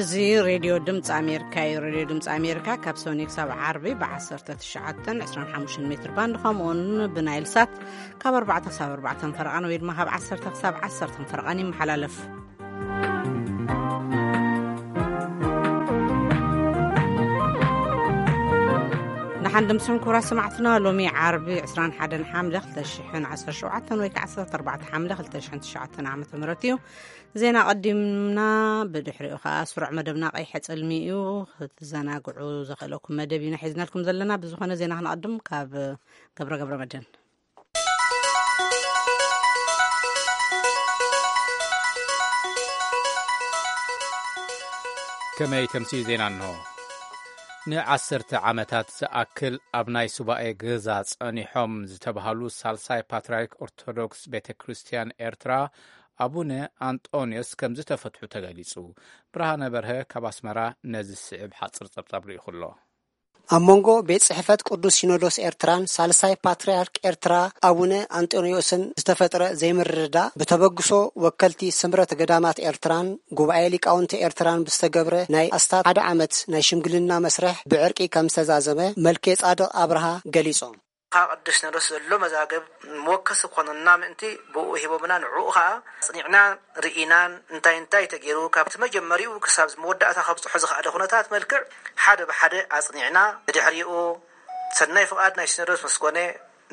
እዚ ሬድዮ ድምፂ ኣሜሪካ እዩ። ሬድዮ ድምፂ ኣሜሪካ ካብ ሰኒ ክሳብ ዓርቢ ብ19፣ 25 ሜትር ባንድ፣ ከምኡውን ብናይል ሳት ካብ ኣርባዕተ ክሳብ ኣርባዕተ ፈረቓን ወይ ድማ ካብ ዓሰርተ ክሳብ ዓሰርተ ፈረቓን ይመሓላለፍ። ንሓን ድምስን ክቡራት ሰማዕትና፣ ሎሚ ዓርቢ ዕስራን ሓደን ሓምለ ክልተ ሽሕን ዓሰርተ ሸውዓተን ወይ ከዓ ዓሰርተ ኣርባዕተ ሓምለ ክልተ ሽሕን ትሽዓተን ዓመተ ምህረት እዩ። ዜና ቀዲምና፣ ብድሕሪኡ ከዓ ስሩዕ መደብና ቀይሐ ጽልሚ እዩ። ክትዘናግዑ ዘኽእለኩም መደብ ኢና ሒዝናልኩም ዘለና። ብዝኾነ ዜና ክንቐድም ካብ ገብረ ገብረ መድህን። ከመይ ተምሲ ዜና እንሆ። ንዓሰርተ ዓመታት ዝኣክል ኣብ ናይ ሱባኤ ገዛ ጸኒሖም ዝተባህሉ ሳልሳይ ፓትርያርክ ኦርቶዶክስ ቤተ ክርስቲያን ኤርትራ ኣቡነ ኣንጦንዮስ ከም ዝተፈትሑ ተገሊጹ። ብርሃነ በርሀ ካብ ኣስመራ ነዚ ዝስዕብ ሓጽር ጸብጻብ ልኢኹ ኣሎ። ኣብ መንጎ ቤት ጽሕፈት ቅዱስ ሲኖዶስ ኤርትራን ሳልሳይ ፓትርያርክ ኤርትራ ኣቡነ ኣንጦንዮስን ዝተፈጥረ ዘይምርድዳእ፣ ብተበግሶ ወከልቲ ስምረት ገዳማት ኤርትራን ጉባኤ ሊቃውንቲ ኤርትራን ብዝተገብረ ናይ ኣስታት ሓደ ዓመት ናይ ሽምግልና መስርሕ ብዕርቂ ከም ዝተዛዘመ መልከ ጻድቕ ኣብርሃ ገሊጾም። ካብ ቅዱስ ሲኖዶስ ዘሎ መዛግብ መወከሲ ክኾነና ምእንቲ ብኡ ሂቦምና፣ ንዕኡ ኸኣ ኣጽኒዕና ርኢናን እንታይ እንታይ ተገይሩ ካብቲ መጀመሪኡ ክሳብ መወዳእታ ከብጽሖ ዝኸኣለ ኩነታት መልክዕ ሓደ ብሓደ ኣጽኒዕና፣ ብድሕሪኡ ሰናይ ፍቓድ ናይ ሲኖዶስ ምስ ኮነ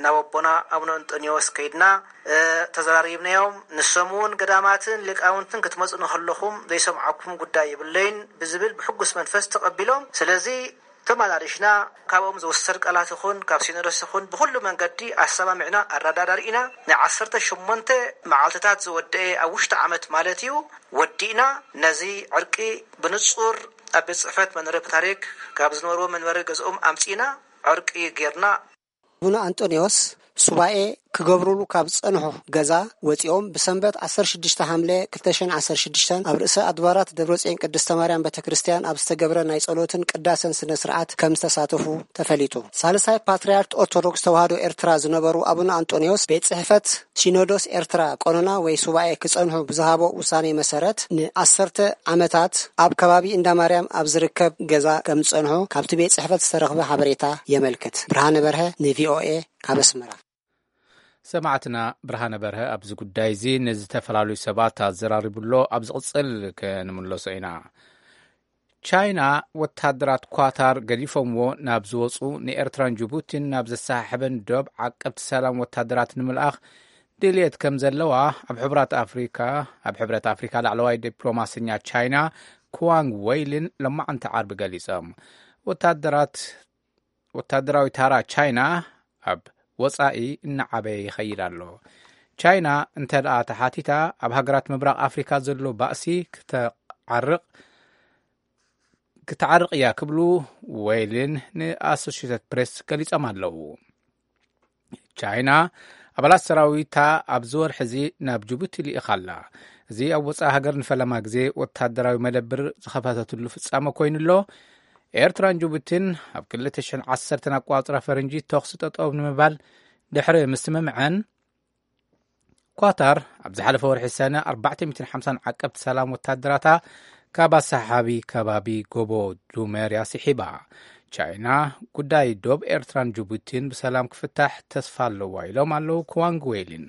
ናብ ኣቦና ኣቡነ እንጦንዮስ ከይድና፣ እ፣ ተዘራሪብናዮም። ንሶም እውን ገዳማትን ሊቃውንትን ክትመጹ ንኸለኹም ዘይሰምዓኩም ጉዳይ የብለይን ብዝብል ብሕጉስ መንፈስ ተቐቢሎም። ስለዚ ተመላሊሽና፣ ካብኦም ዝውሰድ ቃላት ይኹን ካብ ሲኖዶስ ይኹን ብኹሉ መንገዲ ኣሰማሚዕና ኣረዳዳሪእና፣ ናይ ዓሰርተ ሸሞንተ መዓልትታት ዝወደአ ኣብ ውሽጢ ዓመት ማለት እዩ ወዲእና። ነዚ ዕርቂ ብንጹር ኣብ ቤት ጽሕፈት መንበረ ፓትርያርክ ካብ ዝነበርዎ መንበሪ ገዝኦም ኣምጺእና ዕርቂ ጌርና። ኣቡነ ኣንጦንዮስ ሱባኤ ክገብሩሉ ካብ ዝጸንሑ ገዛ ወጺኦም ብሰንበት ዓሰርተ ሽዱሽተ ሓምለ ክልተ ሽሕን ዓሰርተ ሽዱሽተን ኣብ ርእሰ ኣድባራት ደብረጽዮን ቅድስተ ማርያም ቤተ ክርስቲያን ኣብ ዝተገብረ ናይ ጸሎትን ቅዳሴን ስነ ስርዓት ከም ዝተሳተፉ ተፈሊጡ። ሳልሳይ ፓትርያርክ ኦርቶዶክስ ተዋህዶ ኤርትራ ዝነበሩ ኣቡነ ኣንጦንዮስ ቤት ጽሕፈት ሲኖዶስ ኤርትራ ቆኖና ወይ ሱባኤ ክጸንሑ ብዝሃቦ ውሳኔ መሰረት ንዓሰርተ ዓመታት ኣብ ከባቢ እንዳ ማርያም ኣብ ዝርከብ ገዛ ከም ዝጸንሑ ካብቲ ቤት ጽሕፈት ዝተረኽበ ሓበሬታ የመልክት። ብርሃነ በርሀ ንቪኦኤ ካብ ኣስመራ። ሰማዕትና ብርሃነ በርሀ ኣብዚ ጉዳይ እዚ ንዝተፈላለዩ ሰባት ኣዘራሪቡ ኣሎ። ኣብ ዝቕጽል ክንምለሶ ኢና። ቻይና ወታደራት ኳታር ገዲፎምዎ ናብ ዝወጹ ንኤርትራን ጅቡቲን ናብ ዘሰሓሕበን ዶብ ዓቀብቲ ሰላም ወታደራት ንምልኣኽ ድልየት ከም ዘለዋ ኣብ ሕብራት ኣፍሪካ፣ ኣብ ሕብረት ኣፍሪካ ላዕለዋይ ዲፕሎማሰኛ ቻይና ኩዋንግ ወይሊን ሎማዕንቲ ዓርቢ ገሊጾም። ወታደራት፣ ወታደራዊ ታራ ቻይና ኣብ ወጻኢ እናዓበየ ይኸይድ ኣሎ። ቻይና እንተ ደኣ ተሓቲታ፣ ኣብ ሃገራት ምብራቕ ኣፍሪካ ዘሎ ባእሲ ክተዓርቕ፣ ክተዓርቕ እያ ክብሉ ወይሊን ንኣሶሽየትድ ፕሬስ ገሊጾም ኣለዉ። ቻይና ኣባላት ሰራዊታ ኣብዚ ወርሒ እዚ ናብ ጅቡቲ ልኢኻ ኣላ። እዚ ኣብ ወጻኢ ሃገር ንፈለማ ግዜ ወታደራዊ መደብር ዝኸፈተትሉ ፍጻመ ኮይኑ ኣሎ። ኤርትራን ጅቡቲን ኣብ ክልተ ሽሕን ዓሰርተን ኣቋጽራ ፈረንጂ ተኹሲ ጠጠው ንምባል ድሕሪ ምስምምዐን፣ ኳታር ኣብ ዝሓለፈ ወርሒ ሰነ ኣርባዕተ ሚእትን ሓምሳን ዓቀብቲ ሰላም ወታደራታ ካብ ኣሰሓቢ ከባቢ ጎቦ ዱሜር እያ ስሒባ። ቻይና ጉዳይ ዶብ ኤርትራን ጅቡቲን ብሰላም ክፍታሕ ተስፋ ኣለዋ ኢሎም ኣለዉ ኩዋንግ ዌሊን።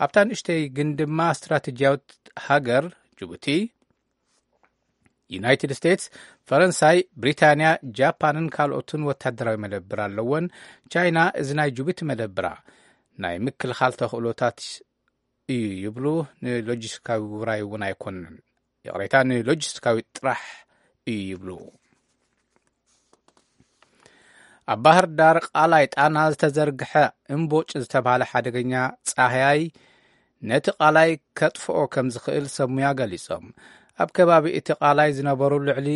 ኣብታ ንእሽተይ ግን ድማ ስትራቴጂያዊት ሃገር ጅቡቲ፣ ዩናይትድ ስቴትስ፣ ፈረንሳይ፣ ብሪታንያ፣ ጃፓንን ካልኦትን ወታደራዊ መደብር ኣለወን። ቻይና እዚ ናይ ጅቡቲ መደብራ ናይ ምክልኻል ተኽእሎታት እዩ ይብሉ። ንሎጂስቲካዊ ውራይ እውን ኣይኮነን፣ ይቕሬታ፣ ንሎጂስቲካዊ ጥራሕ እዩ ይብሉ። ኣብ ባህር ዳር ቃላይ ጣና ዝተዘርግሐ እምቦጭ ዝተባህለ ሓደገኛ ጻህያይ ነቲ ቃላይ ከጥፍኦ ከም ዝኽእል ሰብ ሙያ ገሊጾም። ኣብ ከባቢ እቲ ቃላይ ዝነበሩ ልዕሊ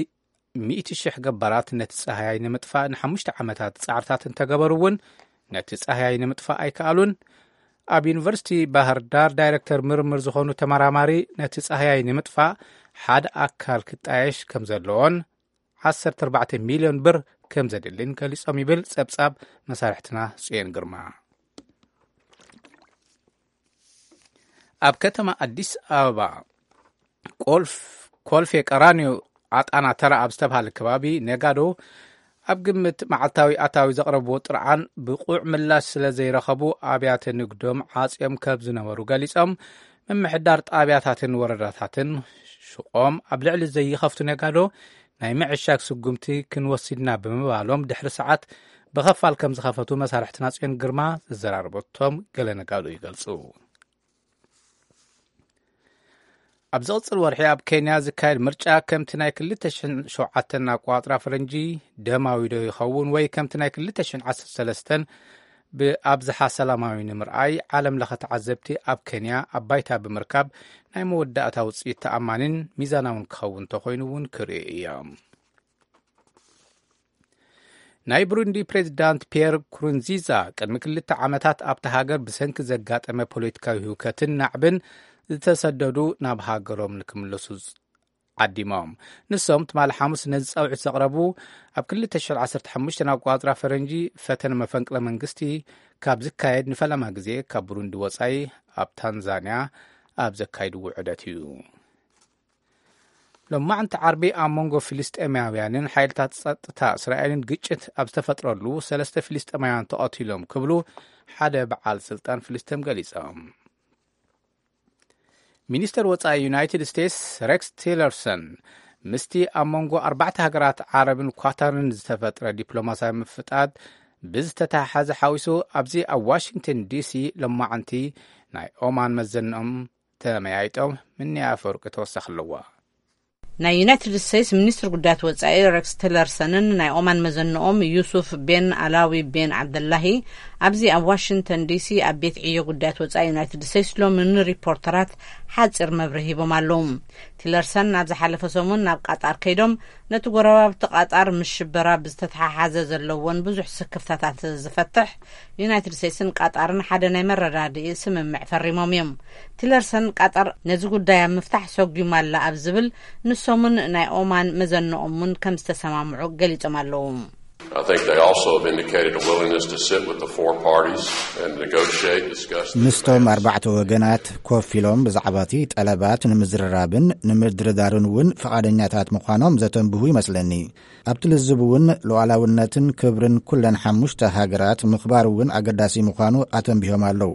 ሚእቲ ሽሕ ገባራት ነቲ ጻህያይ ንምጥፋእ ንሓሙሽተ ዓመታት ጻዕርታት እንተገበሩ እውን ነቲ ጻህያይ ንምጥፋእ ኣይከኣሉን። ኣብ ዩኒቨርሲቲ ባህር ዳር ዳይሬክተር ምርምር ዝኾኑ ተመራማሪ ነቲ ጻህያይ ንምጥፋእ ሓደ ኣካል ክጣየሽ ከም ዘለዎን ዓሰርተ ኣርባዕተ ሚልዮን ብር ከም ዘድልን ገሊጾም ይብል ጸብጻብ መሳርሕትና ጽዮን ግርማ። ኣብ ከተማ ኣዲስ ኣበባ ቆልፍ-፣ ኮልፌ ቀራኒዮ ዓጣና ተራ ኣብ ዝተባሃለ ከባቢ ነጋዶ ኣብ ግምት መዓልታዊ ኣታዊ ዘቕረብዎ ጥርዓን ብቑዕ ምላሽ ስለ ዘይረኸቡ ኣብያተ ንግዶም ዓጽዮም ከም ዝነበሩ ገሊጾም፣ ምምሕዳር ጣብያታትን ወረዳታትን ሽቖም ኣብ ልዕሊ ዘይኸፍቱ ነጋዶ ናይ ምዕሻግ ስጉምቲ ክንወስድና ብምባሎም ድሕሪ ሰዓት ብኸፋል ከም ዝኸፈቱ መሳርሕትና ጽዮን ግርማ ዘዘራረበቶም ገለ ነጋዶ ይገልጹ። ኣብ ዝቕጽል ወርሒ ኣብ ኬንያ ዝካየድ ምርጫ ከምቲ ናይ ክልተ ሽሕን ሸውዓተን ኣቋጽራ ፈረንጂ ደማዊ ዶ ይኸውን ወይ ከምቲ ናይ ክልተ ሽሕን ዓሰርተ ሰለስተን ብኣብዝሓ ሰላማዊ ንምርኣይ ዓለም ለኸ ተዓዘብቲ ኣብ ኬንያ ኣብ ባይታ ብምርካብ ናይ መወዳእታ ውጽኢት ተኣማኒን ሚዛናውን ክኸውን ተኾይኑ እውን ክርእዩ እዮም። ናይ ብሩንዲ ፕሬዚዳንት ፒየር ኩሩንዚዛ ቅድሚ ክልተ ዓመታት ኣብቲ ሃገር ብሰንኪ ዘጋጠመ ፖለቲካዊ ህውከትን ናዕብን ዝተሰደዱ ናብ ሃገሮም ንክምለሱ ዓዲሞም። ንሶም ትማሊ ሓሙስ ነዚ ጻውዒት ዘቕረቡ ኣብ ክልተ ሽሕን ዓሰርተ ሓሙሽተን ኣቋጽራ ፈረንጂ ፈተነ መፈንቅለ መንግስቲ ካብ ዝካየድ ንፈለማ ግዜ ካብ ብሩንዲ ወጻኢ ኣብ ታንዛንያ ኣብ ዘካይድዎ ዑደት እዩ። ሎማዕንቲ ዓርቢ ኣብ መንጎ ፍልስጤማውያንን ሓይልታት ጸጥታ እስራኤልን ግጭት ኣብ ዝተፈጥረሉ ሰለስተ ፍልስጤማውያን ተቐቲሎም ክብሉ ሓደ በዓል ስልጣን ፍልስጤም ገሊጾም። ሚኒስተር ወጻኢ ዩናይትድ ስቴትስ ሬክስ ቲለርሰን ምስቲ ኣብ መንጎ ኣርባዕተ ሃገራት ዓረብን ኳታርን ዝተፈጥረ ዲፕሎማስያዊ ምፍጣጥ ብዝተተሓሓዘ ሓዊሱ ኣብዚ ኣብ ዋሽንግተን ዲሲ ሎማዕንቲ ናይ ኦማን መዘንኦም ተመያይጦም። ምንያ ኣፈወርቂ ተወሳኺ ኣለዋ። ናይ ዩናይትድ ስቴትስ ሚኒስትር ጉዳያት ወጻኢ ሬክስ ቲለርሰንን ናይ ኦማን መዘንኦም ዩሱፍ ቤን ኣላዊ ቤን ዓብደላሂ ኣብዚ ኣብ ዋሽንግተን ዲሲ ኣብ ቤት ዕዮ ጉዳያት ወጻኢ ዩናይትድ ስቴትስ ሎሚ ንሪፖርተራት ሓጺር መብርሂ ሂቦም ኣለዉ። ቲለርሰን ኣብ ዝሓለፈ ሰሙን ናብ ቃጣር ከይዶም ነቲ ጎረባብቲ ቃጣር ምስ ሽበራ ብዝተተሓሓዘ ዘለዎን ብዙሕ ስክፍታታት ዝፈትሕ ዩናይትድ ስቴትስን ቃጣርን ሓደ ናይ መረዳድኢ ስምምዕ ፈሪሞም እዮም። ቲለርሰን ቃጣር ነዚ ጉዳይ ኣብ ምፍታሕ ሰጒማ ኣላ ኣብ ዝብል ንሶምን ናይ ኦማን መዘንኦምን ከም ዝተሰማምዑ ገሊጾም ኣለዉ። I think they also have indicated a willingness to sit with the four parties and negotiate, discuss the ምስቶም demands. ኣርባዕተ ወገናት ኮፍ ኢሎም ብዛዕባ እቲ ጠለባት ንምዝርራብን ንምድርዳርን እውን ፍቓደኛታት ምዃኖም ዘተንብሁ ይመስለኒ። ኣብቲ ልዝብ እውን ሉዓላውነትን ክብርን ኩለን ሓሙሽተ ሃገራት ምኽባር እውን ኣገዳሲ ምዃኑ ኣተንቢሆም ኣለዉ።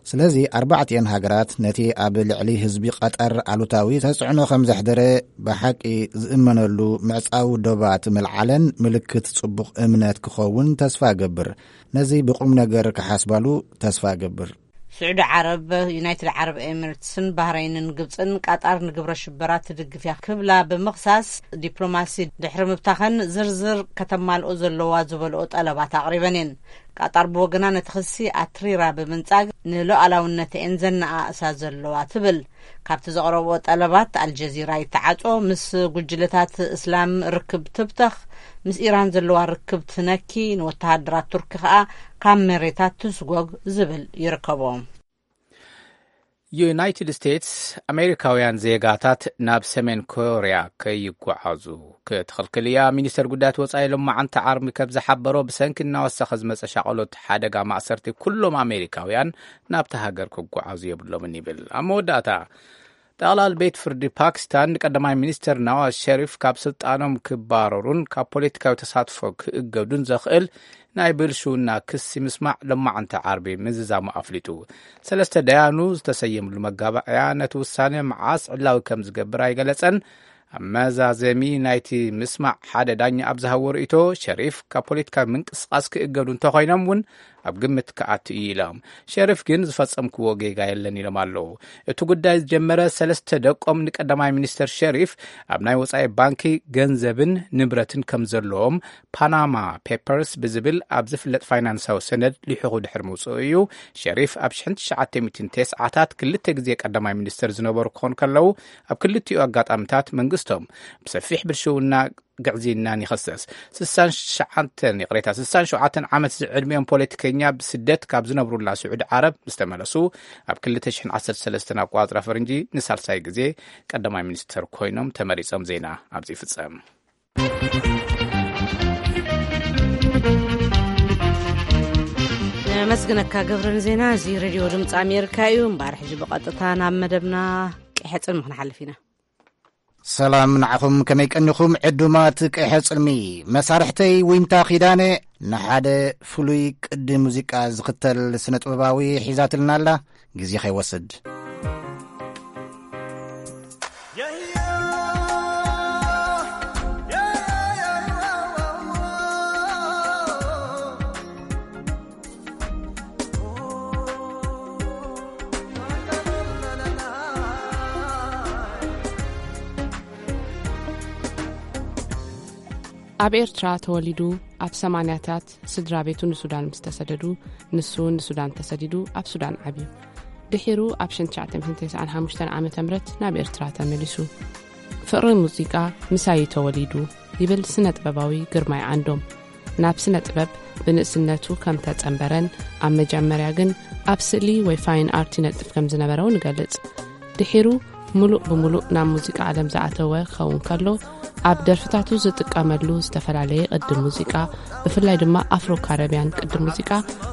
ስለዚ ኣርባዕቲኤን ሃገራት ነቲ ኣብ ልዕሊ ህዝቢ ቀጠር ኣሉታዊ ተጽዕኖ ከም ዘሕደረ ብሓቂ ዝእመነሉ ምዕጻው ዶባት ምልዓለን ምልክት ጽቡቕ እምነት ክኸውን ተስፋ እገብር። ነዚ ብቁም ነገር ክሓስባሉ ተስፋ እገብር። ስዑዲ ዓረብ፣ ዩናይትድ ዓረብ ኤሚሬትስን ባህረይንን ግብጽን ቃጣር ንግብረ ሽበራ ትድግፍ እያ ክብላ ብምኽሳስ፣ ዲፕሎማሲ ድሕሪ ምብታኸን ዝርዝር ከተማልኦ ዘለዋ ዝበልኦ ጠለባት ኣቕሪበን እየን። ቃጣር ብወገና ነቲ ክሲ ኣትሪራ ብምንጻግ ንሉዓላውነተን ዘነኣእሳ ዘለዋ ትብል። ካብቲ ዘቕረብኦ ጠለባት ኣልጀዚራ ይተዓጾ፣ ምስ ጉጅለታት እስላም ርክብ ትብተኽ፣ ምስ ኢራን ዘለዋ ርክብ ትነኪ፣ ንወተሃደራት ቱርኪ ከኣ ካብ መሬታ ትስጎግ ዝብል ይርከቦ። ዩናይትድ ስቴትስ ኣሜሪካውያን ዜጋታት ናብ ሰሜን ኮርያ ከይጓዓዙ ክትኽልክል እያ። ሚኒስተር ጉዳያት ወጻኢ ሎማዓንቲ ዓርቢ ከም ዝሓበሮ ብሰንኪ እናወሰኸ ዝመጸ ሻቐሎት ሓደጋ ማእሰርቲ ኩሎም ኣሜሪካውያን ናብቲ ሃገር ክጓዓዙ የብሎምን ይብል። ኣብ መወዳእታ ጠቕላል ቤት ፍርዲ ፓኪስታን ንቀዳማይ ሚኒስተር ናዋዝ ሸሪፍ ካብ ስልጣኖም ክባረሩን ካብ ፖለቲካዊ ተሳትፎ ክእገዱን ዘኽእል ናይ ብልሽውና ክሲ ምስማዕ ሎማዓንቲ ዓርቢ ምዝዛሙ ኣፍሊጡ። ሰለስተ ደያኑ ዝተሰየምሉ መጋባእያ ነቲ ውሳነ መዓስ ዕላዊ ከም ዝገብር ኣይገለጸን። ኣብ መዛዘሚ ናይቲ ምስማዕ ሓደ ዳኛ ኣብ ዝሃቦ ርእይቶ ሸሪፍ ካብ ፖለቲካዊ ምንቅስቓስ ክእገዱ እንተኾይኖም እውን ኣብ ግምት ክኣቱ እዩ ኢሎም። ሸሪፍ ግን ዝፈጸምክዎ ጌጋ የለን ኢሎም ኣለዉ። እቲ ጉዳይ ዝጀመረ ሰለስተ ደቆም ንቀዳማይ ሚኒስተር ሸሪፍ ኣብ ናይ ወጻኢ ባንኪ ገንዘብን ንብረትን ከም ዘለዎም ፓናማ ፔፐርስ ብዝብል ኣብ ዝፍለጥ ፋይናንሳዊ ሰነድ ሊሑኹ ድሕሪ ምውጽኡ እዩ። ሸሪፍ ኣብ ሽሕን ትሽዓተ ሚእትን ተስዓታት ክልተ ግዜ ቀዳማይ ሚኒስተር ዝነበሩ ክኾኑ ከለዉ ኣብ ክልቲኡ ኣጋጣሚታት መንግስቶም ብሰፊሕ ብልሽውና ግዕዝይናን ይኸሰስ። ስሳን ትሽዓተን ይቕሬታ ስሳን ሸውዓተን ዓመት ዝዕድሚኦም ፖለቲከኛ ብስደት ካብ ዝነብሩላ ስዑዲ ዓረብ ምስ ተመለሱ ኣብ ክልተ ሽሕን ዓሰርተ ሰለስተን ኣቋጽራ ፈረንጂ ንሳልሳይ ግዜ ቀዳማይ ሚኒስተር ኮይኖም ተመሪጾም። ዜና ኣብዚ ይፍጸም። ነመስግነካ ገብረ ንዜና። እዚ ሬድዮ ድምፂ ኣሜሪካ እዩ። እምበኣር ሕጂ ብቐጥታ ናብ መደብና ቀይሕፅን ክንሓልፍ ኢና። ሰላም ንዓኹም፣ ከመይ ቀኒኹም ዕዱማት ቀይሐ ጽልሚ? መሳርሕተይ ዊንታ ኪዳነ ንሓደ ፍሉይ ቅዲ ሙዚቃ ዝኽተል ስነ ጥበባዊ ሒዛትልና ኣላ። ግዜ ከይወስድ። ኣብ ኤርትራ ተወሊዱ፣ ኣብ ሰማንያታት ስድራ ቤቱ ንሱዳን ምስ ተሰደዱ፣ ንሱ ንሱዳን ተሰዲዱ ኣብ ሱዳን ዓብዩ። ድሒሩ ኣብ ሽሕን ትሽዓተ ሚእትን ተስዓን ሓሙሽተን ዓመተ ምህረት ናብ ኤርትራ ተመሊሱ። ፍቕሪ ሙዚቃ ምሳይ ተወሊዱ ይብል ስነ ጥበባዊ ግርማይ ዓንዶም። ናብ ስነ ጥበብ ብንእስነቱ ከም ተጸንበረን ኣብ መጀመርያ ግን ኣብ ስእሊ ወይ ፋይን ኣርት ይነጥፍ ከም ዝነበረ እውን ይገልጽ። ድሒሩ ምሉእ ብምሉእ ናብ ሙዚቃ ዓለም ዝኣተወ ክኸውን ከሎ፣ ኣብ ደርፍታቱ ዝጥቀመሉ ዝተፈላለየ ቅዲ ሙዚቃ፣ ብፍላይ ድማ ኣፍሮ ካረብያን ቅዲ ሙዚቃ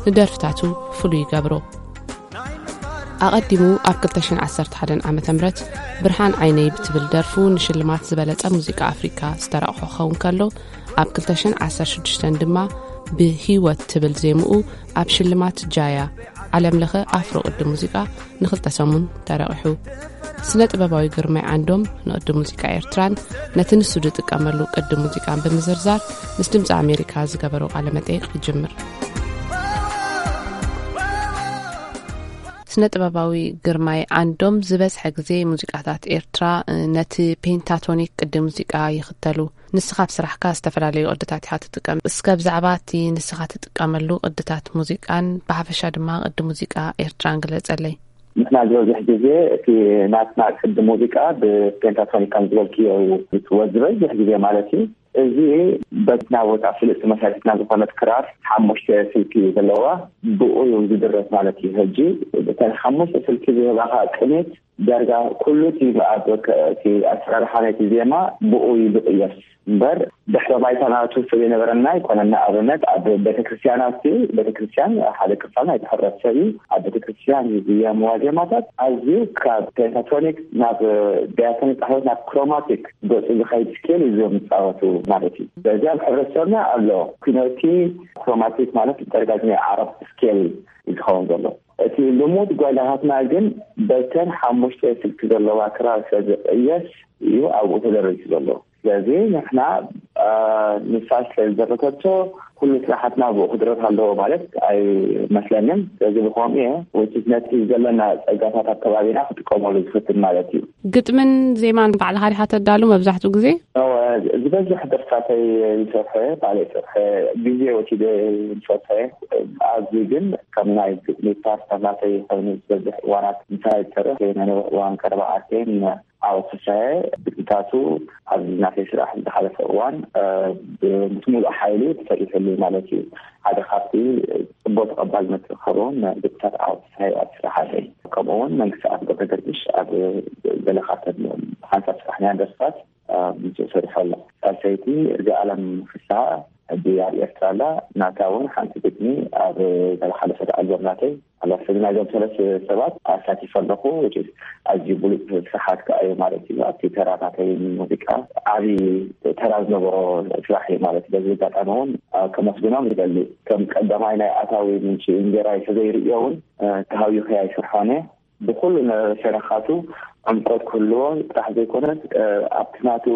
ንደርፍታቱ ፍሉይ ይገብሮ። ኣቐዲሙ ኣብ ክልተ ሽሕን ዓሰርተ ሓደን ዓመተ ምህረት ብርሃን ዓይነይ ብትብል ደርፉ ንሽልማት ዝበለጸ ሙዚቃ ኣፍሪካ ዝተረቕሖ ክኸውን ከሎ፣ ኣብ ክልተ ሽሕን ዓሰርተ ሽዱሽተን ድማ ብህይወት ትብል ዜምኡ ኣብ ሽልማት ጃያ ዓለም ለኸ ኣፍሮ ቅዲ ሙዚቃ ንኽልተ ሰሙን ተረቒሑ። ስነ ጥበባዊ ግርማይ ዓንዶም ንቅዲ ሙዚቃ ኤርትራን ነቲ ንሱ ዝጥቀመሉ ቅዲ ሙዚቃን ብምዝርዛር ምስ ድምፂ ኣሜሪካ ዝገበሮ ቃለ መጠይቕ ይጅምር። ስነ ጥበባዊ ግርማይ ዓንዶም ዝበዝሐ ግዜ ሙዚቃታት ኤርትራ፣ እ፣ ነቲ ፔንታቶኒክ ቅዲ ሙዚቃ ይኽተሉ። ንስኻ ኣብ ስራሕካ ዝተፈላለዩ ቅድታት ኢኻ ትጥቀም። እስከ ብዛዕባ እቲ ንስኻ ትጥቀመሉ ቅድታት ሙዚቃን ብሓፈሻ ድማ ቅዲ ሙዚቃ ኤርትራን ግለጸለይ። ንሕና ዝበዝሕ ግዜ እቲ ናትና ቅዲ ሙዚቃ ብፔንታቶኒክ ከም ዝበልክዮ እዩ ዝትወ ዝበዝሕ ግዜ ማለት እዩ። እዚ በትና ቦታ ፍልጥቲ መሳሪትና ዝኾነት ክራር ሓሙሽተ ስልኪ ዘለዋ ብኡ እዩ ዝድረፍ ማለት እዩ። ሕጂ እተን ሓሙሽተ ስልኪ ዝህባኻ ቅኔት ዳርጋ ኩሉ እቲ ኣብ ከ-፣ እቲ ኣሰራርሓ ናይቲ ዜማ ብኡ እዩ ዝቕየስ እምበር፣ ድሕረ ባይታ ናቱ ስለ ዘይነበረና ኣይኮነን። ንኣብነት ኣብ ቤተክርስትያናት፣ ቤተክርስትያን ሓደ ክፋል ናይቲ ሕብረተሰብ እዩ። ኣብ ቤተክርስትያን ዝዝየምዋ ዜማታት ኣዝዩ ካብ ፔንታቶኒክ ናብ ዳያቶኒክ ጣህወት ናብ ክሮማቲክ ገጹ ዝኸይድ ስኬል እዩ ዝጻወቱ ማለት እዩ። ስለዚ ኣብ ሕብረተሰብና ኣሎ ኩነቲ ክሮማቲክ ማለት ተደጋግሚ ዓረብ ስኬል እዩ ዝኸውን ዘሎ። እቲ ልሙድ ጓይላታትና ግን በተን ሓሙሽተ ስልኪ ዘለዋ ክራር ስለ ዝቕየስ እዩ ኣብኡ ተደሪሱ ዘሎ። ስለዚ ንሕና፣ አ፣ ንሳ ስለ ዝደረሰቶ ኩሉ ስራሓትና ብኡ ክድረስ ኣለዎ ማለት ኣይመስለንን። ስለዚ ብኸምኡ እየ ወይስ ነቲ ዘለና ጸጋታት ኣብ ከባቢና ክጥቀመሉ ዝፍትን ማለት እዩ። ግጥምን ዜማን ባዕልኻ ዲኻ ተዳሉ መብዛሕትኡ ግዜ? እወ፣ ዝበዝሕ ደርፍታተይ ዝሰርሐ ባዕለይ ሰርሐ ግዜ ወሲደ ዝሰርሐ። ኣብዚ ግን ከም ናይ ግጥሚ ፓርት ናተይ ኮይኑ ዝበዝሕ እዋናት ምሳይ ዝሰርሕ ናይ ነዊሕ እዋን ቀረባ ዓርከይን ዓወት ፍስሃየ ግጥምታቱ ኣብዚ ናተይ ስራሕ ዝሓለፈ እዋን፣ እ፣ ብ-፣ ምስ ሙሉእ ሓይሉ ተሰሪሑሉ ማለት እዩ። ሓደ ካብቲ ጽቡቕ ተቐባልነት ዝረኸቦም ግጥምታት ዓወት ፍስሃየ ኣብ ስራሓተይ። ከምኡ እውን መንግስቲ ኣፍ ገብረ ገርግሽ ኣብ ገለ ካብተን ሓንሳብ ስራሕናያን ደርፍታት፣ እ፣ ምስኡ ሰሪሑ ኣሎ። ሳልሰይቲ እዚኣለም ፍስሃ ሕጂ ኣብ ኤርትራ ኣላ። ናታ እውን ሓንቲ ግጥሚ ኣብ ዝሓለፈት ኣልበም ናተይ ኣላ። ስለዚ ናይዞም ሰለስተ ሰባት ኣሳቲፈ ኣለኹ። Which is ኣዝዩ ብሉጽ ስራሓት ከኣ እዩ ማለት እዩ። ኣብቲ ተራ ናተይ ሙዚቃ ዓቢ ተራ ዝነበሮ ስራሕ እዩ ማለት እዩ። በዚ ኣጋጣሚ እውን፣ አ፣ ከመስግኖም ይደሊ። ከም ቀዳማይ ናይ ኣታዊ ምንጪ እንጀራይ ተዘይርእዮ እውን፣ አ፣ ተሃዊኸ ኣይሰርሖን እየ። ብኹሉ ነ-፣ ሸነኻቱ ዕምቆት ክህልዎ ጥራሕ ዘይኮነስ፣ እ፣ ኣብቲ ናቱ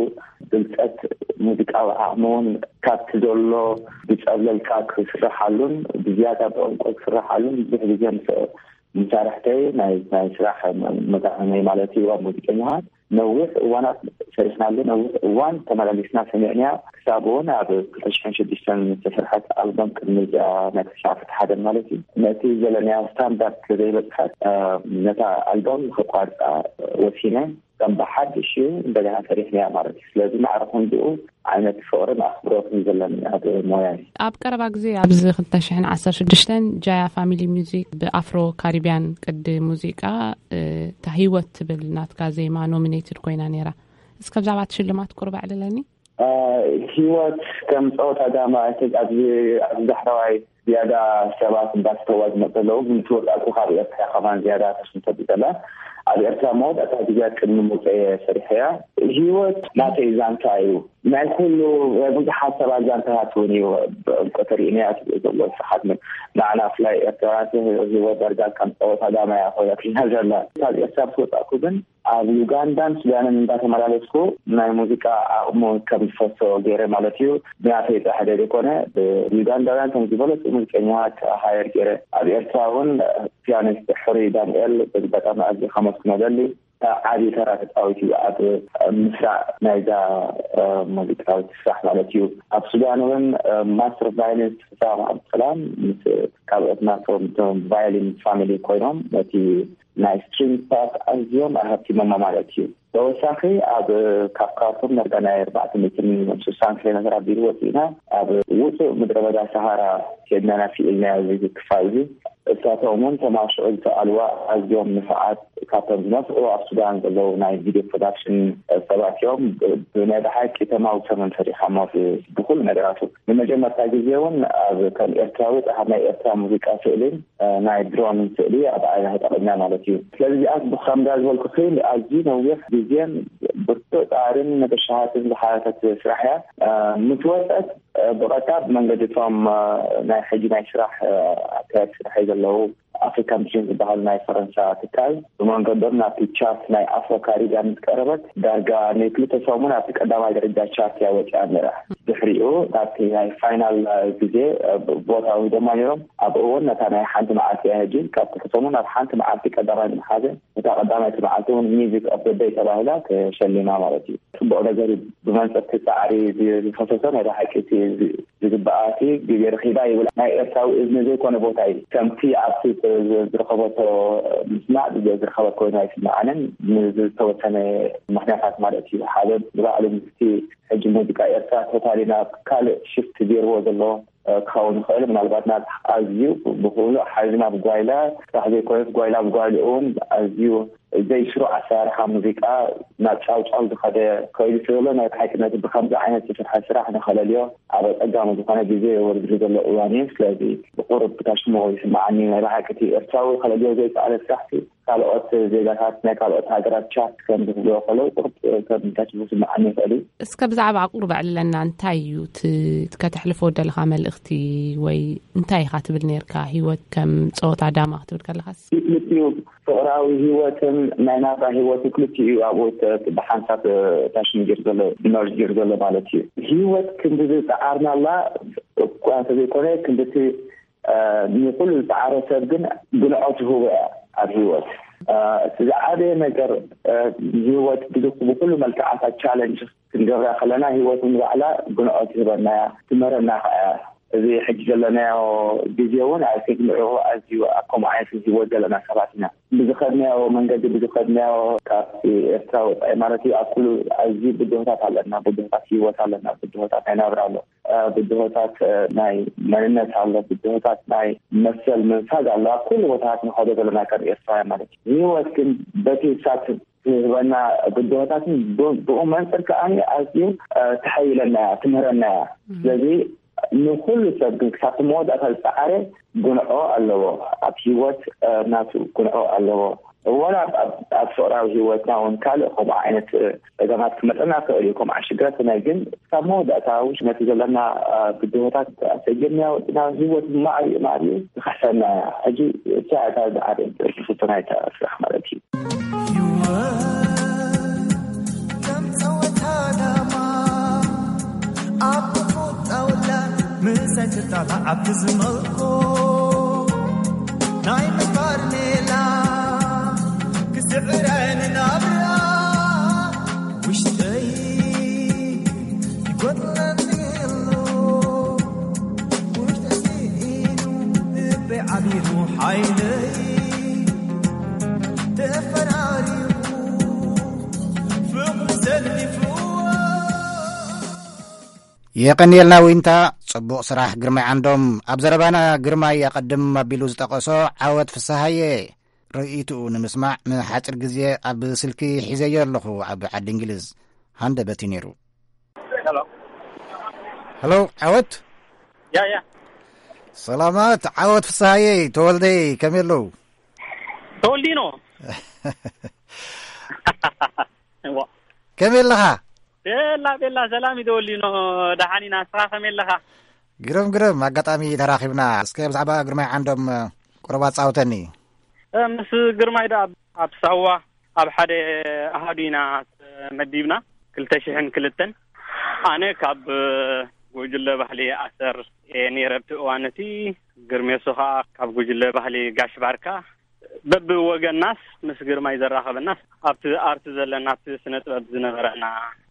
ብልጸት ሙዚቃዊ ዓቕሚ እውን ካብቲ ዘሎ ዝጸብለልካ ክስርሓሉን ብዝያዳ ብዕምቆት ክስርሓሉን ብዙሕ ግዜ ምስ መሳርሕተይ ናይ፣ ናይ ስራሕ መ-፣ መጋጠመይ ማለት እዩ። ኣብ ሙዚቀኛታት ነዊሕ እዋናት ሰሪሕናሉ፣ ነዊሕ እዋን ተመላሊስና ሰሚዕናያ። ክሳብ እውን ኣብ ክልተ ሽሕን ሽዱሽተን ዝተሰርሐት ኣልበም ቅድሚ እዚኣ ናይ ክልተ ሽሕን ዓሰርተ ሓደን ማለት እዩ። ነቲ ዘለናያ ስታንዳርድ ስለ ዘይበጽሐት፣ እ፣ ነታ ኣልበም ከቋርጻ ወሲነ። ከም ብሓድሽ እዩ እንደገና ሰሪሕናያ ማለት እዩ። ስለዚ ማዕረ ክንድኡ ዓይነት ፍቕርን ኣኽብሮትን ዘለኒ ኣብ ሞያይ። ኣብ ቀረባ ግዜ ኣብዚ ክልተ ሽሕን ዓሰርተ ሽዱሽተን ጃያ ፋሚሊ ሚውዚክ ብኣፍሮ ካሪብያን ቅዲ ሙዚቃ፣ እ፣ እታ ህይወት ትብል ናትካ ዜማ ኖሚኔትድ ኮይና ነይራ። እስከ ብዛዕባ እቲ ሽልማት ቁሩብ ኣዕልለኒ። እ፣ ህይወት ከም ጸወታ ዳማ፣ እቲ ኣብዚ፣ ኣብዚ ዳሕረዋይ ዝያዳ ሰባት እንዳስተዋ ዝመጽእ ኣለዉ። ግን ትወጻእኩ ካብ ኤርትራ ከማን ዝያዳ ተስምቶ ብዘላ ኣብ ኤርትራ መወዳእታ ግዜ ቅድሚ ምውፀየ ሰሪሐያ። ህይወት ናተይ ዛንታ እዩ። ናይ ኩሉ፣ ናይ ብዙሓት ሰባት ዛንታታት እውን እዩ። ቆተሪእንያ ዘሎ ስሓት ምን ንዓና ብፍላይ ኤርትራውያን ህይወት ዳርጋ ከም ፀወታ ዳማ እያ ኮይናትና ዘላ። ካብ ኤርትራ ምስ ወፃእኩ ግን ኣብ ዩጋንዳን ሱዳንን እንዳተመላለስኩ ናይ ሙዚቃ ዓቕሙ ከም ዝፈሶ ገይረ ማለት እዩ። ብናተይ ጥራሕ ዘይኮነ፣ ብዩጋንዳውያን ከም ዝበለፁ ሙዚቀኛታት ሃየር ገይረ። ኣብ ኤርትራ እውን ፒያኒስት ሕሩይ ዳንኤል በዚ ኣጋጣሚ ኣዝየ ከመስግኖ ደሊ። ዓቢ ተራ ተጻዊቱ ኣብ ምስራዕ ናይዛ ሙዚቃዊት ስራሕ ማለት እዩ። ኣብ ሱዳን እውን ማስተር ቫዮሊንስት ሕሳም ኣብሰላም ምስ ካልኦት ናቶም ቫዮሊን ፋሚሊ ኮይኖም ነቲ ናይ ስትሪንግ ፓርት ኣዝዮም ኣሃብቲሞማ ማለት እዩ። ተወሳኺ ኣብ ካብ ካርቱም ዳርጋ ናይ ኣርባዕተ ሚእትን ስሳን ኪሎ ሜትር ኣቢሉ ወፂእና ኣብ ውፁእ ምድረ በዳ ሰሃራ ኬድና ኢና ስኢልናዮ እዚ ክፋል እዚ። እሳቶም እውን ተማሽዑ ዝተኣልዋ ኣዝዮም ንፉዓት ካብቶም ዝነፍዑ ኣብ ሱዳን ዘለዉ ናይ ቪድዮ ፕሮዳክሽን ሰባት እዮም። ብናይ ብሓቂ ተማውሶምን ፈሪሖሞ ብኩሉ ነገራቱ። ንመጀመርታ ግዜ እውን ኣብ ከም ኤርትራዊ ኣብ ናይ ኤርትራ ሙዚቃ ስእልን ናይ ድሮን ስእሊ ኣብ ዓይና ተጠቒምና ማለት እዩ። ስለዚ እዚኣ ከምዛ ዝበልኩኺ ኣዝዩ ነዊሕ ግዜን ብርቱዕ ፃዕርን መተሻሃትን ዝሓተት ስራሕ እያ። ምስ ወፀት ብቐጥታ ብመንገዲ እቶም ናይ ሕጂ ናይ ስራሕ ኣካየድ ስራሕ ዘለዉ ኣፍሪካን ቲም ዝበሃሉ ናይ ፈረንሳ ትካል ብመንገዶም ናብቲ ቻርት ናይ ኣፍሮ ካሪቢያን ምስ ቀረበት ዳርጋ ንክልተ ሰሙን ኣብቲ ቀዳማይ ደረጃ ቻርት እያ ወፂኣ ነይራ። ድሕሪኡ ናብቲ ናይ ፋይናል ግዜ ቦታ ወሂዶማ ነይሮም። ኣብኡ እውን ነታ ናይ ሓንቲ መዓልቲ እያ ሕጂ ካብ ክልተ ሰሙን ናብ ሓንቲ መዓልቲ ቀዳማይ ምሓዘ እታ ቀዳማይቲ መዓልቲ እውን ሚዚክ ኦፍ ደይ ተባሂላ ተሸሊማ ማለት እዩ። ፅቡቕ ነገር እዩ። ብመንፅርቲ ፃዕሪ ዝፈሰሰ ናይ ብሓቂ እቲ ዝግበኣ እቲ ግዜ ረኺባ ይብል። ናይ ኤርትራዊ እዝኒ ዘይኮነ ቦታ እዩ። ከምቲ ኣብቲ ዝረኸበቶ ምስማዕ ዝረኸበት ኮይኑ ኣይስምዓንን። ንዝተወሰነ ምኽንያታት ማለት እዩ። ሓደ ንባዕሉ ምስቲ ሕጂ ሙዚቃ ኤርትራ ቶታሊ ናብ ካልእ ሽፍት ገይርዎ ዘሎ ክኸውን ይኽእል። ምናልባት ናብ ኣዝዩ ብኩሉ ሓዚ ናብ ጓይላ ጥራሕ ዘይኮነስ ጓይላ ብጓይላ እውን ኣዝዩ ዘይስሩዕ ኣሰራርሓ ሙዚቃ ናብ ጫውጫው ዝኸደ ከይዱ ስለሎ ናይ ብሓቂ ነቲ ብከምዚ ዓይነት ዝስርሐ ስራሕ ንኸለልዮ ኣብ ኣፀጋሚ ዝኾነ ግዜ ወሪዱ ዘሎ እዋን እዩ። ስለዚ ብቁሩብ ብታሽሞ ይስምዓኒ። ናይ ብሓቂ እቲ ኤርትራዊ ከለልዮ ዘይከኣለ ስራሕቲ ካልኦት ዜጋታት ናይ ካልኦት ሃገራት ቻርት ከም ዝብልዎ ከለዉ ቁሩብ ከም ታሽሞ ይስምዓኒ ይኽእል እዩ። እስከ ብዛዕባ ኣቁርብ ኣዕልለና። እንታይ እዩ እቲ ከተሕልፎ ደለኻ መልእኽቲ ወይ እንታይ ኢኻ ትብል ነርካ? ህይወት ከም ጸወታ ዳማ ክትብል ከለኻስ? ክልቲኡ ፍቕራዊ ህይወትን ናይ ናብራ ህይወትን ክልቲኡ እዩ ኣብኡ ተ-፣ ብሓንሳብ ታሽም ጌር ዘሎ፣ መርጅ ጌር ዘሎ ማለት እዩ። ህይወት ክንዲ ዝጸዓርናላ እኳ እንተዘይኮነ ክንድቲ፣ እ፣ ንኹሉ ዝጸዓረ ሰብ ግን ግንዖ ትህቦ እያ ኣብ ህይወት። እ፣ እቲ ዝዓበየ ነገር፣ እ፣ ህይወት ብዚ-፣ ብኹሉ መልክዓታት ቻለንጅ ክንገብራ ከለና ህይወት ንባዕላ ግንዖ ትህበና እያ፣ ትምህረና ከኣ እያ። እዚ ሕጂ ዘለናዮ ግዜ እውን፣ ኣይ ቲንክ፣ ንዕኡ ኣዝዩ ኣብ ከምኡ ዓይነት ህይወት ዘለና ሰባት ኢና። ብዝኸድናዮ መንገዲ፣ ብዝኸድናዮ ካብቲ ኤርትራ ወጻኢ ማለት እዩ፣ ኣብ ኩሉ ኣዝዩ ብድሆታት ኣለና፣ ብድሆታት ህይወት ኣለና፣ ብድሆታት ናይ ናብራ ኣሎ፣ እ፣ ብድሆታት፣ እ፣ ናይ መንነት ኣሎ፣ ብድሆታት ናይ መሰል ምንፋግ ኣሎ። ኣብ ኩሉ ቦታታት ንኸዶ ዘለና ከም ኤርትራውያን ማለት እዩ። ህይወት ግን በቲ ሳት ትህበና ብድሆታትን ብ-፣ ብኡ መንፅር ከኣ ኣዝዩ፣ እ፣ ተሓይለና እያ፣ ትምህረና እያ። እም። ስለዚ ንኹሉ ሰብ ግን ክሳብ መወዳእታ ዝፀዓረ ጉንዖ ኣለዎ። ኣብ ህይወት፣ እ፣ ናቱ ጉንዖ ኣለዎ። ወላ ኣብ፣ ኣብ፣ ኣብ ፍቕራዊ ህይወትና እውን ካልእ ከምኡ ዓይነት፣ እ፣ ጸገማት ክመፀና ይኽእል እዩ። ከምኡ ዓይነት ሽግራት ናይ ግን ክሳብ መወዳእታ ውሽ ነቲ ዘለና፣ እ፣ ብድሆታት ኣሰጀምና ወፅና ህይወት ማዕሪኡ ማዕሪኡ ትኽሕሰና እያ። ሕጂ እታ፣ እታ ዝዓበየት ትሕዝቶ ናይታ ስራሕ ማለት እዩ። ህይወት ከም ጸወታ ዳማ ኣብ ቁጣውላ ምሳይ ትጣላዕ ኣብ ትዝመልኮ ናይ ምግባር ሜላ ክስዕረኒ ናብራ ውሽጠይ ይጎድለኒ ኣሎ። ውሽጠይ ስኢኑ ልበይ ዓቢሩ ሓይለይ ተፈራሪቑ ፍቕሪ ዘሊፍዎ። የቐንየልና ዊንታ፣ ጽቡቕ ስራሕ ግርማይ ዓንዶም። ኣብ ዘረባና ግርማይ ኣቐድም ኣቢሉ ዝጠቐሶ ዓወት ፍስሃየ ርእይትኡ ንምስማዕ ንሓጺር ግዜ ኣብ ስልኪ ሒዘዮ ኣለኹ ኣብ ዓዲ እንግሊዝ። ሃንደበት እዩ ነይሩ። ሄሎ። ሄሎ፣ ዓወት። ያ፣ ያ። ሰላማት፣ ዓወት ፍስሃየ፣ ተወልደይ፣ ከመይ ኣለዉ? ተወልዲኖ። እዋ። ከመይ ኣለኻ? ቤላ፣ ቤላ፣ ሰላም እዩ ተወሊኖ። ደሓን ኢና፣ ንስኻ ከመይ ኣለኻ? ግርም፣ ግርም። ኣጋጣሚ ተራኺብና። እስከ ብዛዕባ ግርማይ ዓንዶም ቁሩብ ኣጻውተኒ። እ፣ ምስ ግርማይ ደኣ ኣብ፣ ኣብ ሳዋ ኣብ ሓደ ኣሃዱ ኢና ተመዲብና፣ ክልተ ሽሕን ክልተን። ኣነ ካብ ጉጅለ ባህሊ ኣሰር እየ ነይረ ኣብቲ እዋን እቲ። ግርሜሶ ኸኣ ካብ ጉጅለ ባህሊ ጋሽ ባርካ። በብወገናስ ምስ ግርማይ ዘራኸበናስ ኣብቲ ኣርቲ ዘለና፣ ኣብቲ ስነ ጥበብ ዝነበረና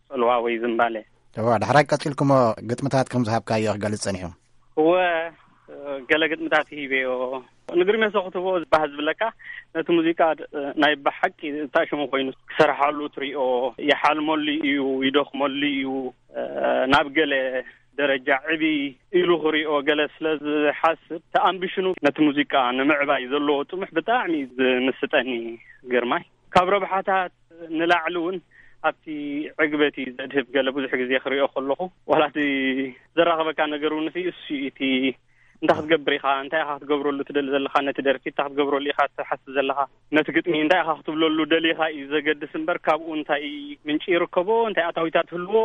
ጽልዋ ወይ ዝምባለ። እዋ፣ ዳሕራይ ቀጺልኩሞ ግጥምታት ከም ዝሃብካዮ ክገልጽ ጸኒሑ። እወ፣ ገለ ግጥምታት ሂበዮ። ንግርሜሶ ክትቦ ዝባህ ዝብለካ፣ ነቲ ሙዚቃ ድ-፣ ናይ ብሓቂ እታ ሽሙ ኮይኑ ክሰርሓሉ ትሪኦ፣ ይሓልመሉ እዩ፣ ይደኽመሉ እዩ። ናብ ገለ ደረጃ ዕብይ ኢሉ ክሪኦ ገለ ስለ ዝሓስብ፣ ተኣምቢሽኑ ነቲ ሙዚቃ ንምዕባይ ዘለዎ ጥሙሕ ብጣዕሚ እዩ ዝምስጠኒ ግርማይ። ካብ ረብሓታት ንላዕሊ እውን ኣብቲ ዕግበት እዩ ዘድህብ። ገለ ብዙሕ ግዜ ክሪኦ ከለኹ፣ ዋላ እቲ ዘራኽበካ ነገር እውን፣ እቲ እሱ እዩ፣ እቲ እንታይ ክትገብር ኢኻ፣ እንታይ ኢኻ ክትገብረሉ ትደሊ ዘለኻ፣ ነቲ ደርፊ እንታይ ክትገብረሉ ኢኻ ትሓስብ ዘለኻ፣ ነቲ ግጥሚ እንታይ ኢኻ ክትብለሉ ደሊኻ እዩ ዘገድስ እምበር፣ ካብኡ እንታይ ምንጪ ይርከቦ፣ እንታይ ኣታዊታት ትህልዎ፣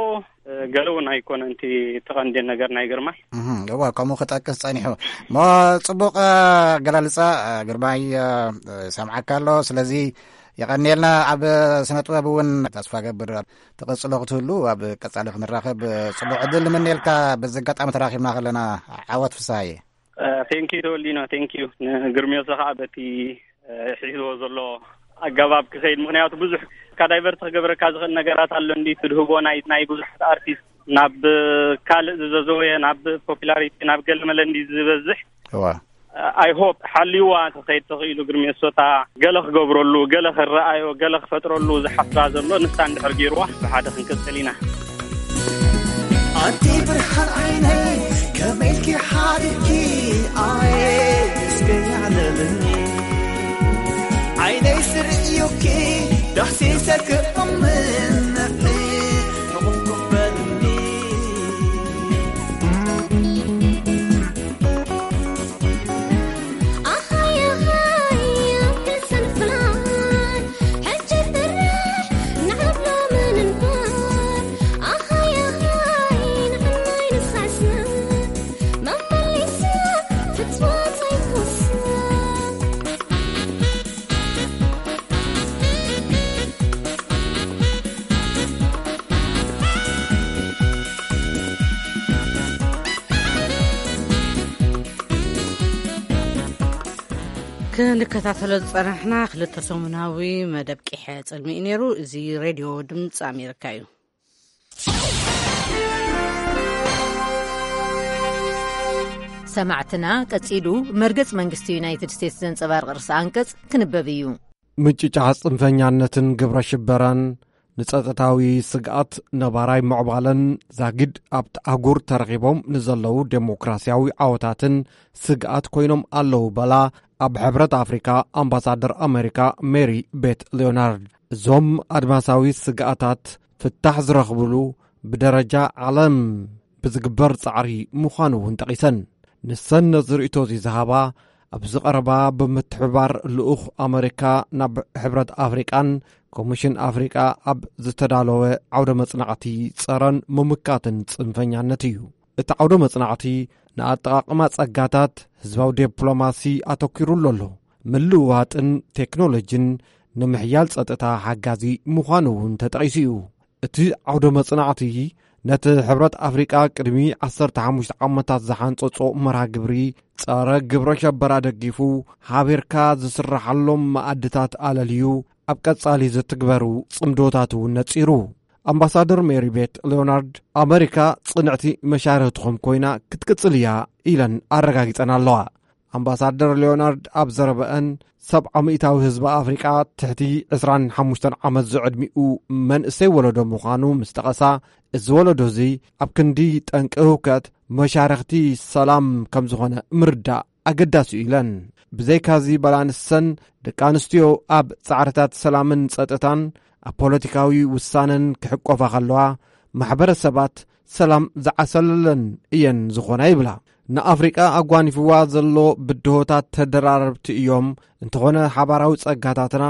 እ፣ ገለ እውን ኣይኮነን እቲ ተቐንዴን ነገር ናይ ግርማይ። እህ፣ እዋ፣ ከምኡ ክጠቅስ ጸኒሑ። እሞ ጽቡቕ፣ እ፣ ኣገላልጻ፣ እ፣ ግርማይ፣ እ፣ እ፣ ሰምዓካ ኣሎ። ስለዚ የቐንየልና። ኣብ ስነ ጥበብ እውን ተስፋ ገብር ትቕጽሎ ክትህሉ፣ ኣብ ቀጻሊ ክንራኸብ ጽቡቕ ዕድል ንምነየልካ። በዚ ኣጋጣሚ ተራኺብና ከለና። ዓወት ፍስሃየ። እ፣ ቴንኪዩ ተወሊኖ፣ ቴንኪዩ። ንግርሜሶ ኸዓ በቲ፣ እ፣ ሒዝዎ ዘሎ ኣገባብ ክኸይድ፣ ምኽንያቱ ብዙሕ ካብ ዳይቨርት ክገብረካ ዝኽእል ነገራት ኣሎ እንዲ ትድህቦ ናይ፣ ናይ ብዙሓት ኣርቲስት ናብ ካልእ ዝዘዘወየ፣ ናብ ፖፑላሪቲ፣ ናብ ገለ መለ እንዲ ዝበዝሕ። እዋ። ኣይ ሆፕ ሓልዋ ተኸይድ ተኽኢሉ ግርሜሶ እታ ገለ ክገብረሉ፣ ገለ ክረኣዮ፣ ገለ ክፈጥረሉ ዝሓስባ ዘሎ ንሳ እንድሕር ገይርዋ ብሓደ ክንቅጽል ኢና። ኣንቲ ብርሃን ዓይነይ ከመይ ኢልኪ ሓዲርኪ ኣየ እስከ ያዕለልኒ ዓይነይ ስርእዮኪ ዳሕሲሰ ክእምንኺ ሕቑፍቁፍ በልኒ። ክንከታተሎ ዝጸናሕና ክልተ ሰሙናዊ መደብ ቂሐ ጽልሚ እዩ ነይሩ። እዚ ሬድዮ ድምጺ ኣሜሪካ እዩ። ሰማዕትና፣ ቀጺሉ መርገጽ መንግስቲ ዩናይትድ ስቴትስ ዘንጸባርቕ ርእሰ ኣንቀጽ ክንበብ እዩ። ምጭጫሕ ጽንፈኛነትን ግብረ ሽበራን ንጸጥታዊ ስግኣት፣ ነባራይ ምዕባለን ዛጊድ ኣብቲ ኣህጉር ተረኺቦም ንዘለዉ ዴሞክራስያዊ ዓወታትን ስግኣት ኮይኖም ኣለዉ በላ ኣብ ሕብረት ኣፍሪካ ኣምባሳደር ኣሜሪካ ሜሪ ቤት ሊዮናርድ። እዞም ኣድማሳዊ ስግኣታት ፍታሕ ዝረኽብሉ ብደረጃ ዓለም ብዝግበር ጻዕሪ ምዃኑ እውን ጠቒሰን። ንሰን ነዚ ርእይቶ እዚ ዝሃባ ኣብዚ ቀረባ ብምትሕብባር ልኡኽ ኣመሪካ ናብ ሕብረት ኣፍሪቃን ኮሚሽን ኣፍሪቃ ኣብ ዝተዳለወ ዓውደ መጽናዕቲ ጸረን ምምካትን ጽንፈኛነት እዩ። እቲ ዓውደ መጽናዕቲ ንኣጠቓቕማ ጸጋታት ህዝባዊ ዲፕሎማሲ ኣተኲሩሉ ኣሎ። ምልውዋጥን ቴክኖሎጂን ንምሕያል ጸጥታ ሓጋዚ ምዃኑ እውን ተጠቒሱ እዩ። እቲ ዓውደ መጽናዕቲ ነቲ ሕብረት ኣፍሪቃ ቅድሚ ዓሰርተ ሓሙሽተ ዓመታት ዝሓንጸጾ መርሃ ግብሪ ጸረ ግብረ ሸበራ ደጊፉ፣ ሓቢርካ ዝስራሓሎም መኣድታት ኣለልዩ፣ ኣብ ቀጻሊ ዝትግበሩ ጽምዶታት እውን ነጺሩ። ኣምባሳደር ሜሪ ቤት ሊዮናርድ፣ ኣመሪካ ጽንዕቲ መሻርኽትኹም ኮይና ክትቅጽል እያ ኢለን ኣረጋጊጸን ኣለዋ። ኣምባሳደር ሊዮናርድ ኣብ ዘረበአን፣ ሰብዓ ሚእታዊ ህዝቢ ኣፍሪቃ ትሕቲ ዕስራን ሓሙሽተን ዓመት ዝዕድሚኡ መንእሰይ ወለዶ ምዃኑ ምስ ጠቐሳ፣ እዚ ወለዶ እዚ ኣብ ክንዲ ጠንቂ ህውከት መሻርኽቲ ሰላም ከም ዝኾነ ምርዳእ ኣገዳሲ እዩ ኢለን። ብዘይካዚ በላ ንሰን፣ ደቂ ኣንስትዮ ኣብ ጻዕርታት ሰላምን ጸጥታን ኣብ ፖለቲካዊ ውሳነን ክሕቆፋ ከለዋ፣ ማሕበረሰባት ሰላም ዝዓሰለለን እየን ዝኾና ይብላ። ንኣፍሪቃ ኣጓኒፍዋ ዘሎ ብድሆታት ተደራረብቲ እዮም። እንተኾነ ሓባራዊ ጸጋታትና፣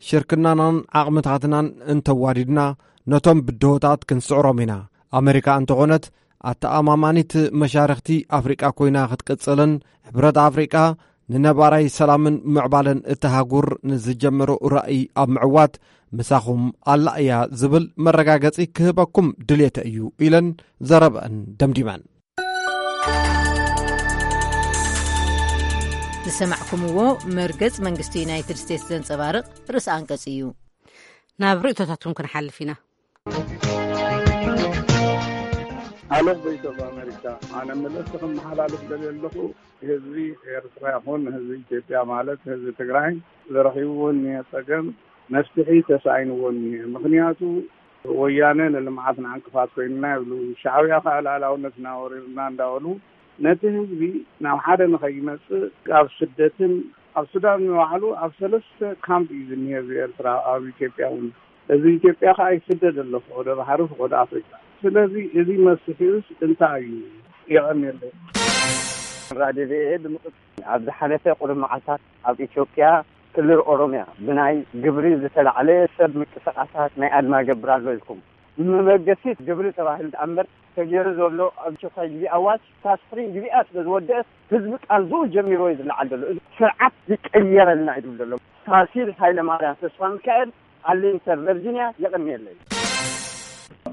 ሽርክናናን ዓቕምታትናን እንተዋዲድና፣ ነቶም ብድሆታት ክንስዕሮም ኢና። ኣመሪካ እንተኾነት፣ ኣተኣማማኒት መሻርኽቲ ኣፍሪቃ ኮይና ክትቅጽልን፣ ሕብረት ኣፍሪቃ ንነባራይ ሰላምን ምዕባለን እታ ሃጉር ንዝጀመሮ ራእይ ኣብ ምዕዋት ምሳኹም ኣላ እያ ዝብል መረጋገጺ ክህበኩም ድልየተ እዩ ኢለን ዘረበአን ደምዲመን። ዝሰማዕኩምዎ መርገጽ መንግስቲ ዩናይትድ ስቴትስ ዘንጸባርቕ ርእሲ ኣንቀጽ እዩ። ናብ ርእይቶታትኩም ክንሓልፍ ኢና። ኣለ ቮይስ ኦፍ ኣሜሪካ፣ ኣነ መልእኽቲ ከመሓላልፍ ደልየ ኣለኹ። ህዝቢ ኤርትራ ይኹን ህዝቢ ኢትዮጵያ፣ ማለት ህዝቢ ትግራይ፣ ዝረኺብዎ እኒሀ ጸገም መፍትሒ ተሳኢንዎ እኒሀ። ምኽንያቱ ወያነ ንልምዓትና ዕንቅፋት ኮይንና ይብሉ፣ ሻዕብያ ከዓ ልኣላውነትና ወሪርና እንዳበሉ ነቲ ህዝቢ ናብ ሓደ ንኸይመጽእ ኣብ ስደትን ኣብ ሱዳን ንባዕሉ ኣብ ሰለስተ ካምፕ እዩ ዝኒሀ ህዝቢ ኤርትራ፣ ኣብ ኢትዮጵያ እውን። ህዝቢ ኢትዮጵያ ከዓ ይስደድ ኣሎ፣ ወደ ባሕሪ ወደ ኣፍሪካ። ስለዚ እዚ መፍትሒኡስ እንታይ እዩ? የቐንየለይ። ራድዮ ቪኦኤ ብምቕጽ-፣ ኣብ ዝሓለፈ ቁሩብ መዓልታት ኣብ ኢትዮጵያ ክልል ኦሮምያ ብናይ ግብሪ ዝተላዕለ ሰብ ምንቅስቃሳት ናይ ኣድማ ገብር ኣሎ ኢልኩም። ንመበገሲ ግብሪ ተባሂሉ ደኣ እምበር ተገይሩ ዘሎ ኣብ ኣስቸኳይ ግዜ ኣዋጅ ካብ ስፕሪንግ ግቢኣ ስለ ዝወደአት ህዝቢ ቃልዝኡ ጀሚርዎ እዩ ዝለዓል ዘሎ። እዚ ስርዓት ይቀየረልና እዩ ዝብል ዘሎ። ፋሲል ሃይለ ማርያም ተስፋ ሚካኤል፣ ኣርሊንግተን ቨርጂንያ። የቐንየለይ።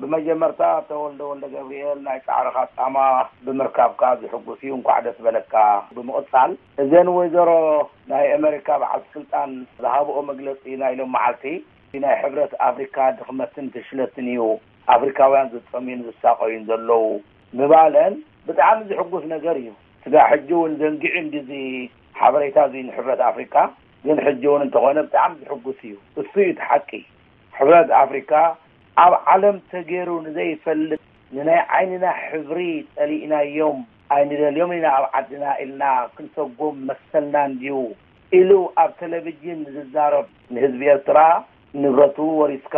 ብመጀመርታ ተወልደ ወልደ ገብርኤል፣ ናይ ጻዕርኻ ጻማ ብምርካብካ ዝሕጉስ እዩ፣ እንኳዕ ደስ በለካ። ብምቕጻል እዘን ወይዘሮ ናይ ኣመሪካ በዓልቲ ስልጣን ዝሃብኦ መግለጺ ናይ ሎም መዓልቲ ናይ ሕብረት ኣፍሪካ ድኽመትን ፍሽለትን እዩ ኣፍሪካውያን ዝጠምዩን ዝሳቐዩን ዘለዉ ምባለን ብጣዕሚ ዝሕጉስ ነገር እዩ። ስጋ ሕጂ እውን ዘንጊዑ እንዲዚ ሓበሬታ እዚ ንሕብረት ኣፍሪካ፣ ግን ሕጂ እውን እንተኾነ ብጣዕሚ ዝሕጉስ እዩ። እሱ እዩ እቲ ሓቂ። ሕብረት ኣፍሪካ ኣብ ዓለም ተገይሩ ንዘይፈልጥ፣ ንናይ ዓይንና ሕብሪ ጸሊእናዮም ኣይንደልዮም ኢና ኣብ ዓድና ኢልና ክንሰጎም መሰልና እንድዩ ኢሉ ኣብ ቴሌቪዥን ዝዛረብ፣ ንህዝቢ ኤርትራ ንብረቱ ወሪስካ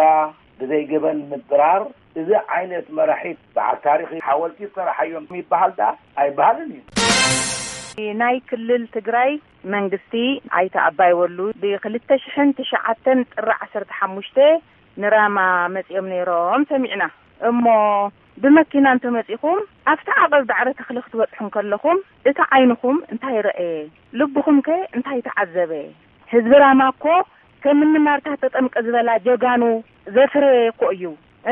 ብዘይ ገበን ምድራር፣ እዚ ዓይነት መራሒት በዓል ታሪኽ ሓወልቲ ይሰራሓዮም ይበሃል ደኣ ኣይበሃልን እዩ። ናይ ክልል ትግራይ መንግስቲ ኣይተ ኣባይ ወሉ ብ ክልተ ሽሕን ትሽዓተን ጥሪ ዓሰርተ ሓሙሽተ ንራማ መጺኦም ነይሮም ሰሚዕና። እሞ ብመኪና እንተመጺኹም ኣብቲ ዓቐብ ዳዕረ ተኽሊ ክትበጽሑ እንከለኹም እቲ ዓይንኹም እንታይ ረኣየ? ልብኹም ከ እንታይ ተዓዘበ? ህዝቢ ራማ እኮ ከም እኒ ማርታ ተጠምቀ ዝበላ ጀጋኑ ዘፍረየ እኮ እዩ።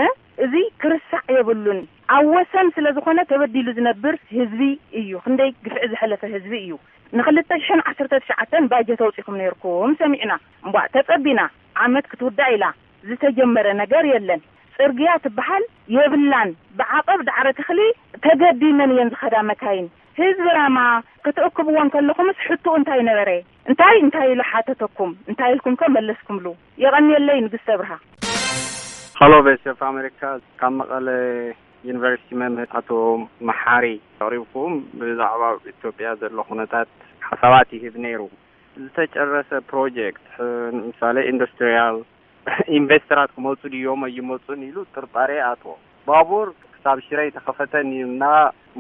እ? እዚ ክርሳዕ የብሉን። ኣብ ወሰን ስለ ዝኾነ ተበዲሉ ዝነብር ህዝቢ እዩ። ክንደይ ግፍዒ ዝሐለፈ ህዝቢ እዩ። ንክልተ ሽሕን ዓሰርተ ትሽዓተን ባጀት ኣውጺኹም ነይርኩም ሰሚዕና። እምቧእ ተጸቢና። ዓመት ክትውዳእ ኢላ። ዝተጀመረ ነገር የለን። ጽርግያ ትበሃል የብላን። ብዓቐብ ዳዕረ ተኽሊ ተገዲመን እየን ዝኸዳ መካይን። ህዝቢ ራማ ክትእክብዎ እንከለኹምስ ሕቶኡ እንታይ ነበረ? እንታይ እንታይ ኢሉ ሓተተኩም? እንታይ ኢልኩም ከ መለስኩምሉ? የቐንየለይ ንግስተ ብርሃ። ሃሎ ቮይስ ኦፍ ኣሜሪካ፣ ካብ መቐለ ዩኒቨርሲቲ መምህር ኣቶ መሓሪ ኣቕሪብኩም ብዛዕባ ኣብ ኢትዮጵያ ዘሎ ኩነታት ሓሳባት ይህብ ነይሩ። ዝተጨረሰ ፕሮጀክት፣ ሕ-፣ ንምሳሌ ኢንዱስትሪያል ኢንቨስተራት ክመፁ ድዮም ኣይመፁን ኢሉ ጥርጣሬ ኣትዎ። ባቡር ክሳብ ሽረ ኣይተኸፈተን እዩ እና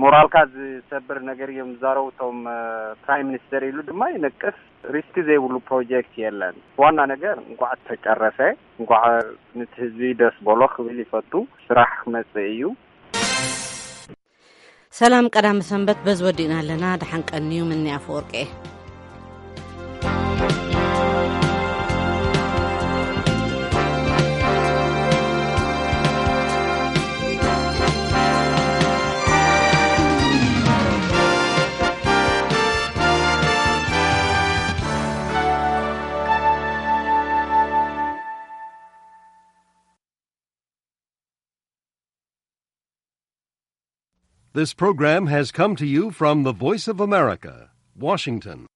ሞራልካ ዝሰብር ነገር እዮም ዝዛረቡ እቶም፣ እ፣ ፕራይም ሚኒስተር ኢሉ ድማ ይነቅፍ። ሪስክ ዘይብሉ ፕሮጀክት የለን። ዋና ነገር እንኳዕ ተጨረሰ፣ እንኳዕ ንቲ ህዝቢ ደስ በሎ ክብል ይፈቱ። ስራሕ ክመፅእ እዩ። ሰላም ቀዳም ሰንበት በዚ ወዲእና ኣለና። ደሓን ቀንዩ ምኒ ኣፈወርቂ እየ። This program has come to you from the Voice of America, Washington.